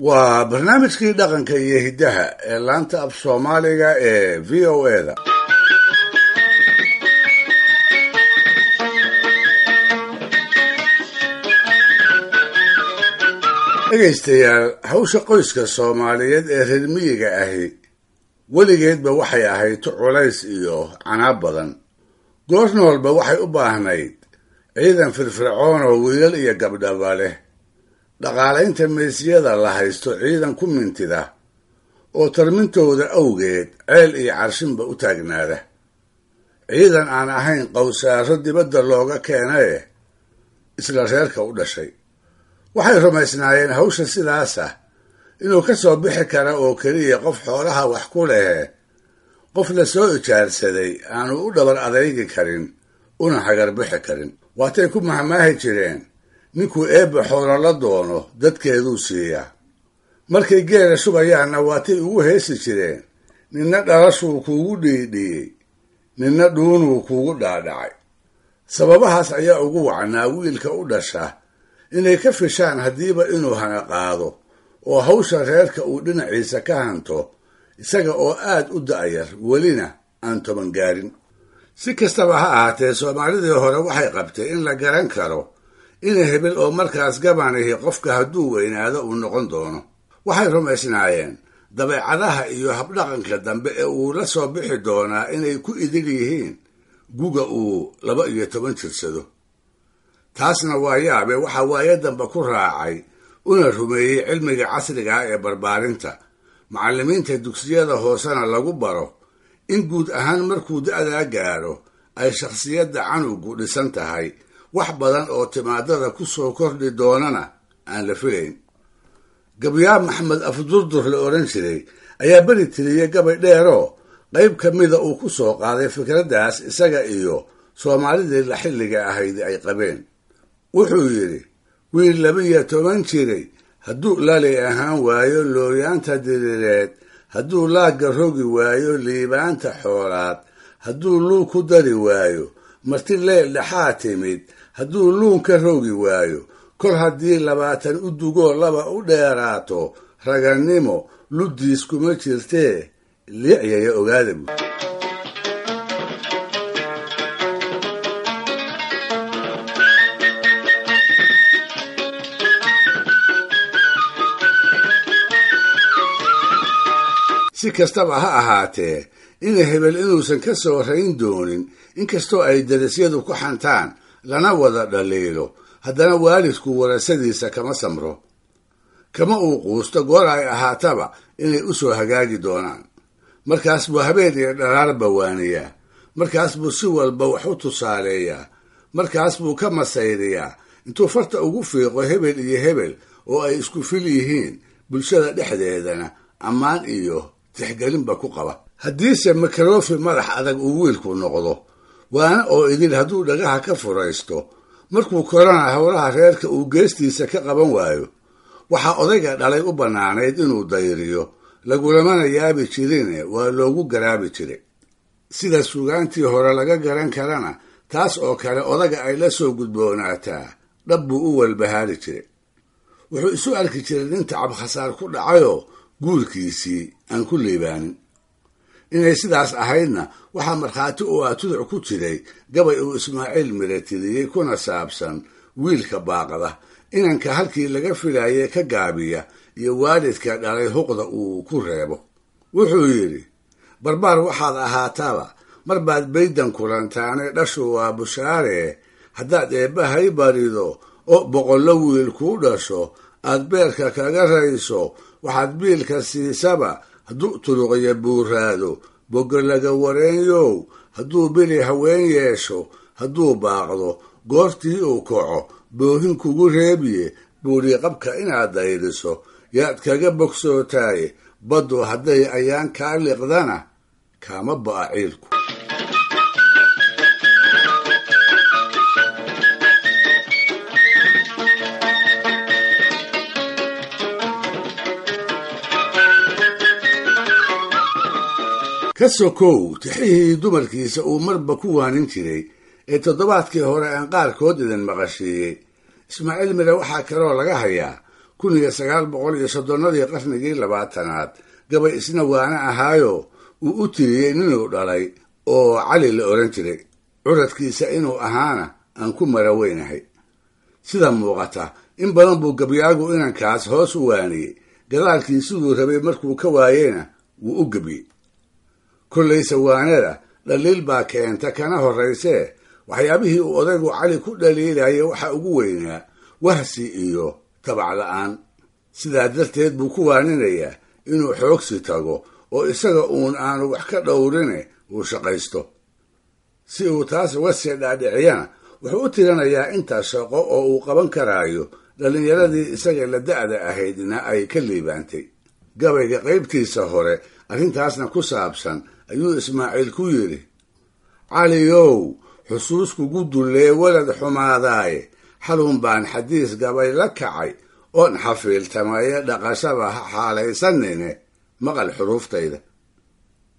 Waa barnaamijkii dhaqanka iyo hiddaha ee laanta af Soomaaliga ee VOA-da. Dhegaystayaal, hawsha qoyska Soomaaliyeed ee reer miyiga ahi weligeedba waxay ahayd tu culays iyo canaab badan. Goor noolba waxay u baahnayd ciidan firfircoon oo wiilal iyo gabdhaba leh, dhaqaalaynta meesyada la haysto ciidan ku mintida oo tarmintooda awgeed ceel iyo carshinba u taagnaada, ciidan aan ahayn qowsaaro dibadda looga keenaye isla reerka u dhashay. Waxay rumaysnaayeen hawsha sidaas ah inuu ka soo bixi kara oo keliya qof xoolaha wax ku lehe, qof la soo ijaarsaday aanu u dhabar adaygi karin una hagarbixi karin. Waatay ku mahmaahi jireen, ninkuu eebba xoolo la doono dadkeeduu siiyaa. Markay geela shubayaanna waatay ugu heesi jireen, ninna dhalashuu kuugu dhiidhiyey, ninna dhuunuu kuugu dhaadhacay. Sababahaas ayaa ugu wacnaa wiilka u dhasha inay ka fishaan haddiiba inuu hana qaado oo hawsha reerka uu dhinaciisa ka hanto, isaga oo aad u da'yar welina aan 10 gaarin. Si kastaba ha ahaatee, Soomaalidii hore waxay qabtay in la garan karo ina hebel oo markaas gabanihi qofka hadduu weynaado uu noqon doono. Waxay rumaysnaayeen dabeecadaha iyo habdhaqanka dambe ee uu la soo bixi doonaa inay ku idil yihiin guga uu 12 jirsado. Taasna waa yaabe waxaa waayo dambe ku raacay una rumeeyey cilmiga casriga ah ee barbaarinta, macallimiinta dugsiyada hoosena lagu baro in guud ahaan markuu da'daa gaaro ay shakhsiyadda canugu dhisan tahay, wax badan oo timaadada ku soo kordhi doonana aan la filayn. Gabyaa Maxamed Afdurdur la odhan jiray ayaa beri tiriyey gabay dheeroo qayb ka mida uu ku soo qaaday fikraddaas isaga iyo Soomaalidii la xilliga ahayd ay qabeen. Wuxuu yidhi, wiil 12 jiray hadduu lali ahaan waayo looyaanta diriireed, hadduu laagga rogi waayo liibaanta xoolaad, hadduu luug ku dari waayo marti leel dhexaa timid, hadduu luun ka rogi waayo, kol haddii 20 u dugoo 2 u dheeraato, ragannimo luddiis kuma jirtee liicyaya ogaada bu. Si kastaba ha ahaatee, ina hebel inuusan ka soo rayn doonin, inkastoo ay darisyadu ku xantaan lana wada dhaliilo, haddana waalidku warasadiisa kama samro, kama uu quusto goor ay ahaataba inay u soo hagaagi doonaan. Markaas buu habeen iyo dharaarba waaniyaa, markaas buu si walba wax u tusaaleeyaa, markaas buu ka masayriyaa intuu farta ugu fiiqo hebel iyo hebel oo ay isku fil yihiin, bulshada dhexdeedana ammaan iyo tixgelinba ku qaba. Haddiise makarofi madax adag uu wiilku noqdo, waana oo idil hadduu dhagaha ka furaysto, markuu korana howlaha reerka uu geestiisa ka qaban waayo, waxaa odayga dhalay u bannaanayd inuu dayriyo, lagulamana yaabi jirine waa loogu garaabi jiray. Sida sugaantii hore laga garan karana, taas oo kale odaga ay la soo gudboonaataa dhab buu u walbahaari jiray. Wuxuu isu arki jiray nin tacab khasaar ku dhacayoo guurkiisii aan ku liibaanin. Inay sidaas ahaydna waxaa markhaati u ah tuduc ku jiray gabay uu Ismaaciil Miratiriyey kuna saabsan wiilka baaqda, inanka halkii laga filayay ka gaabiya iyo waalidka dhalay huqda uu ku reebo. Wuxuu yidhi, barbaar waxaad ahaataba mar baad baydan kulantaane, dhashu waa bushaaree, haddaad eebbahay barido oo boqollo wiil kuu dhasho, aad beerka kaga rayso, waxaad biilka siisaba hadduu turuqya buuraado, boggolaga wareenyow hadduu bili haween yeesho, hadduu baaqdo goortii uu kaco boohin kugu reebiye, buuriqabka inaad dayriso yaad kaga bogsootaaye, baddu hadday ayaan kaa liqdana kaama ba'a ciilku. Ka sokow tixihii dumarkiisa uu marba ku waanin jiray ee toddobaadkii hore aan qaarkood idin maqashiiyey, Ismaaciil Mire waxaa kaloo laga hayaa 1930-adii qarnigii 20aad gabay isna waana ahaayo uu u tiriyey ninuu dhalay oo Cali la odhan jiray. Curadkiisa inuu ahaana aan ku maraweynahay. Sida muuqata in badan buu gabyaagu inankaas hoos u waaniyey, gadaalkii siduu rabay markuu ka waayeyna wuu u gebyey. Kollayse waanada dhaliil baa keenta kana horraysee, waxyaabihii uu odaygu Cali ku dhaliilayay waxa ugu weynaa wahsi iyo tabac la'aan. Sidaa darteed buu ku waaninayaa inuu xoogsi tago oo isaga uun aanu wax ka dhowrine uu shaqaysto. Si uu taas uga sii dhaadhiciyana wuxuu u tirinayaa intaas shaqo oo uu qaban karaayo dhallinyaradii isaga la da'da ahaydna ay ka liibaantay. Gabayga qaybtiisa hore arrintaasna ku saabsan ayuu Ismaaciil ku yidhi: Caliyow, xusuus kugu dullee walad xumaadaaye, xalun baan xadiis gabay la kacay oon xafiiltamaye, dhaqashaba ha xaalaysanine maqal xuruuftayda.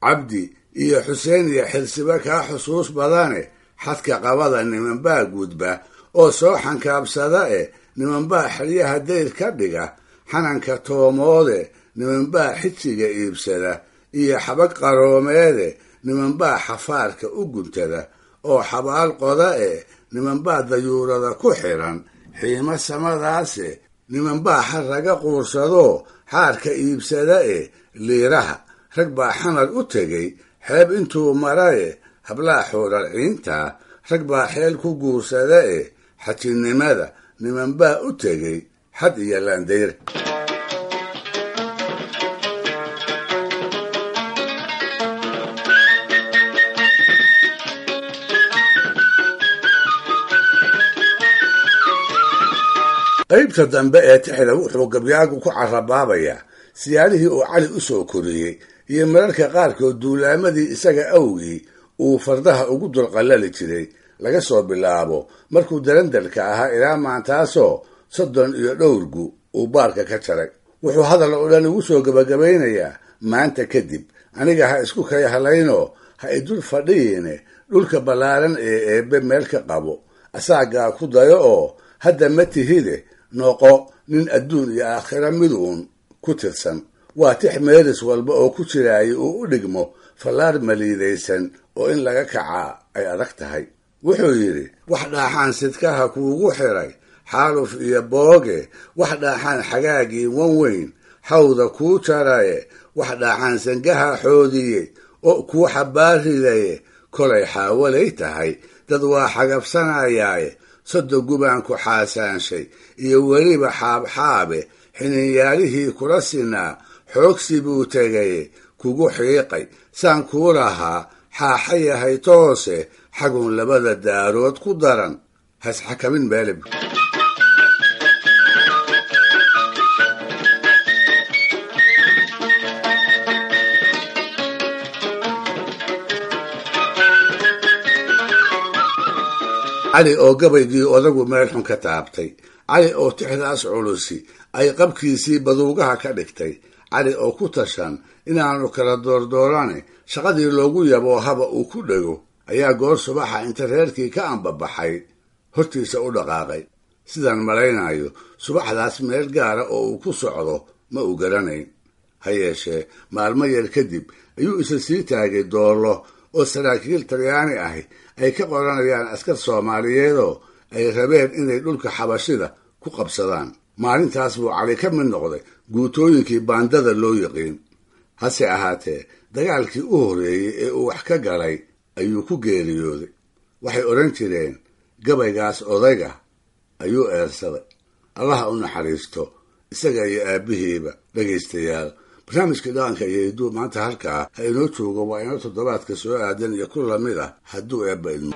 Cabdi iyo Xuseen iyo Xilsiba kaa xusuus badane, xadka qabada nimanbaa gudba oo soo xankaabsada e, nimanbaa xeryaha dayr ka dhiga xananka toomoode, nimanbaa xijiga iibsada iyo xabag qaroomeede, nimanbaa xafaarka u guntada oo xabaal qoda e, nimanbaa dayuurada ku xiran xiimo samadaase, nimanbaa xarraga quursadoo xaarka iibsada e, liiraha rag baa xamar u tegey xeeb intuu maraye, hablaha xuuralciintaa rag baa xeel ku guursada e, xajinimada nimanbaa u tegey xad iyo laandayr. Qaybta dambe ee tixda wuxuu gabyaagu ku carabaabayaa siyaalihii uu Cali u soo koriyey iyo mararka qaarkood duulaamadii isaga awgii uu fardaha ugu dulqallali jiray, laga soo bilaabo markuu darandarka ahaa ilaa maantaasoo 30 iyo dhowr gu uu baarka ka jaray. Wuxuu hadal oo dhan ugu soo gebagabaynayaa: maanta kadib aniga ha isku kay halaynoo ha idul fadhiyiine, dhulka ballaaran ee eebbe meel ka qabo, asaagaa ku dayo oo hadda ma tihide noqo nin adduun iyo aakhira miduun ku tirsan. Waa tix meelis walba oo ku jiraayay uu u dhigmo fallaar maliidaysan oo in laga kacaa ay adag tahay. Wuxuu yidhi: wax dhaaxaan sidkaha kuugu xiray xaaluf iyo booge, wax dhaaxaan xagaagii wan weyn xawda kuu jaraye, wax dhaaxaan sangaha xoodiyey oo kuu xabaaridaye, kolay xaawalay tahay dad waa xagabsanayaaye, 30 gubaan ku xaasaanshay iyo weliba xaabxaabe, xininyaalihii kula sinaa xoogsi buu tegaye, kugu xiiqay saan kuu lahaa xaaxa yahay toose, xagun labada daarood ku daran hasxakamin meelib. Cali oo gabaygii odagu meel xun ka taabtay, Cali oo tixdaas culusi ay qabkiisii baduugaha ka dhigtay, Cali oo ku tashan inaanu kala doordoorane shaqadii loogu yaboohaba uu ku dhego, ayaa goor subaxa inta reerkii ka ambabaxay hortiisa u dhaqaaqay. Sidaan malaynayo subaxdaas meel gaara oo uu ku socdo ma uu garanayn. Ha yeeshee maalmo yar kadib ayuu isa sii taagay doollo oo saraakiil Talyaani ahi ay ka qoranayaan askar Soomaaliyeedoo ay rabeen inay dhulka xabashida ku qabsadaan. Maalintaas buu Cali ka mid noqday guutooyinkii baandada loo yiqiin. Hase ahaatee dagaalkii u horreeyey ee uu wax ka galay ayuu ku geeriyooday. Waxay odhan jireen gabaygaas odayga ayuu eersaday. Allaha u naxariisto isaga iyo aabbihiiba. Dhegaystayaal, barnaamijka dhaqanka iyo hidduu maanta halkaa ha inoo joogo. Waa inoo toddobaadka soo aadan iyo ku lamid ah hadduu eebba idmo.